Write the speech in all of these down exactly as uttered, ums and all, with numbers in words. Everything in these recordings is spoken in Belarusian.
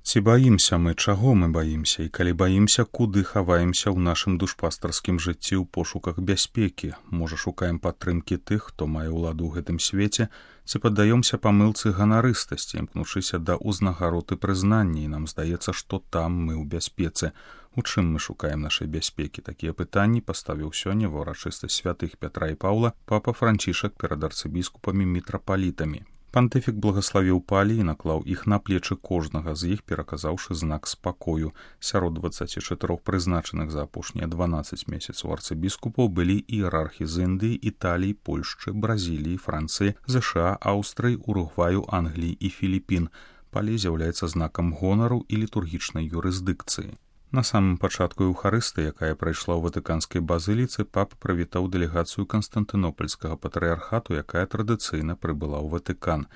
Ці баімся мы, чаго мы баімся, і калі баімся, куды хаваемся ў нашым душпастарскім жыцці ў пошуках бяспекі? Можа, шукаем падтрымкі тых, хто мае ўладу ў гэтым свеце, ці паддаёмся памылцы ганарыстасці, імкнучыся да ўзнагарод і прызнання, і нам здаецца, што там мы ў бяспецы. У чым мы шукаем нашай бяспекі? Такія пытанні паставіў сёння ва ўрачыстасць святых Пятра і Паўла папа Францішак перад арцыбіскупамі мітрапалітамі. Пантыфік благаславіў палі і наклаў іх на плечы кожнага з іх, пераказаўшы знак спакою. Сярод дваццаці чатырох прызначаных за апошнія дванаццаць месяцаў арцыбіскупаў былі іерархі з Індыі, Італіі, Польшчы, Бразіліі, Францыі, ЗША, Аўстрыі, Уругваю, Англіі і Філіпін. Палі з'яўляецца знакам гонару і літургічнай юрысдыкцыі. На самым пачатку Еўхарыстыі, якая прайшла ў ватыканскай базыліцы, папа прывітаў дэлегацыю Канстантынопольскага патрыярхату, якая традыцыйна прыбыла ў Ватыкан.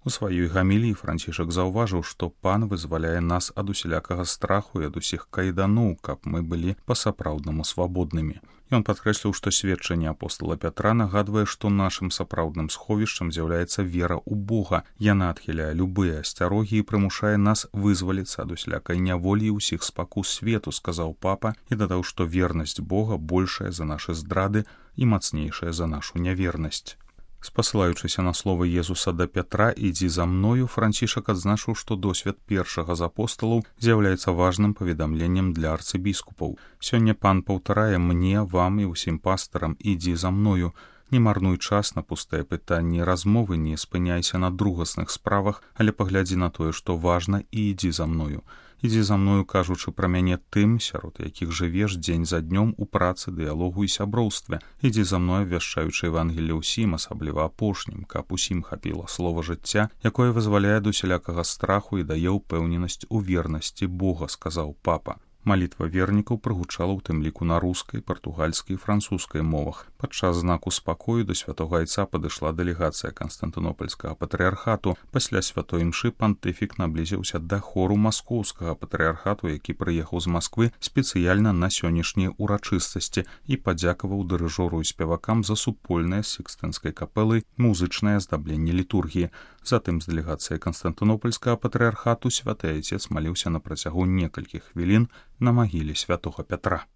У сваёй гаміліі Францішак заўважыў, што пан вызваляе нас ад усялякага страху і ад усіх кайданоў, каб мы былі па-сапраўднаму свабоднымі. Ён падкрэсліў, што сведчанне апостала Пятра нагадвае, што нашым сапраўдным сховішчам з'яўляецца вера ў Бога. Яна адхіляе любыя асцярогі і прымушае нас вызваліцца ад усялякай няволі і ўсіх спакус свету, сказаў папа, і дадаў, што вернасць Бога большая за нашы здрады і мацнейшая за нашу нявернасць. Спасылаючыся на словы Езуса да Пятра «Ідзі за мною», Францішак адзначыў, што досвед першага з апосталаў з'яўляецца важным паведамленнем для арцыбіскупаў. Сёння пан паўтарае мне, вам і ўсім пастарам «Ідзі за мною». Не марнуй час на пустыя пытанні і размовы, не спыняйся на другасных справах, але паглядзі на тое, што важна, і ідзі за мною. Ідзі за мною, кажучы пра мяне тым, сярод якіх жывеш дзень за днём у працы, дыялогу і сяброўстве. Ідзі за мною, вяшчаючы Евангелле ўсім, асабліва апошнім, каб усім хапіла слова жыцця, якое вызваляе ад усялякага страху і дае ўпэўненасць у вернасці Бога, сказаў папа. Малітва вернікаў прагучала ў тым ліку на рускай, партугальскай і французскай мовах. Падчас знаку спакою да святога айца падышла дэлегацыя Канстантынопольскага патрыярхату. Пасля святой імшы пантыфік наблізіўся да хору маскоўскага патрыярхату, які прыехаў з Масквы спецыяльна на сённяшнія ўрачыстасці, і падзякаваў дырыжору і спевакам за супольнае з Сікстынскай капэлай музычнае аздабленне літургіі. Затым з дэлегацыяй Канстантынопольскага патрыярхату святы айцец маліўся на працягу некалькіх хвілін на магіле святога Пятра.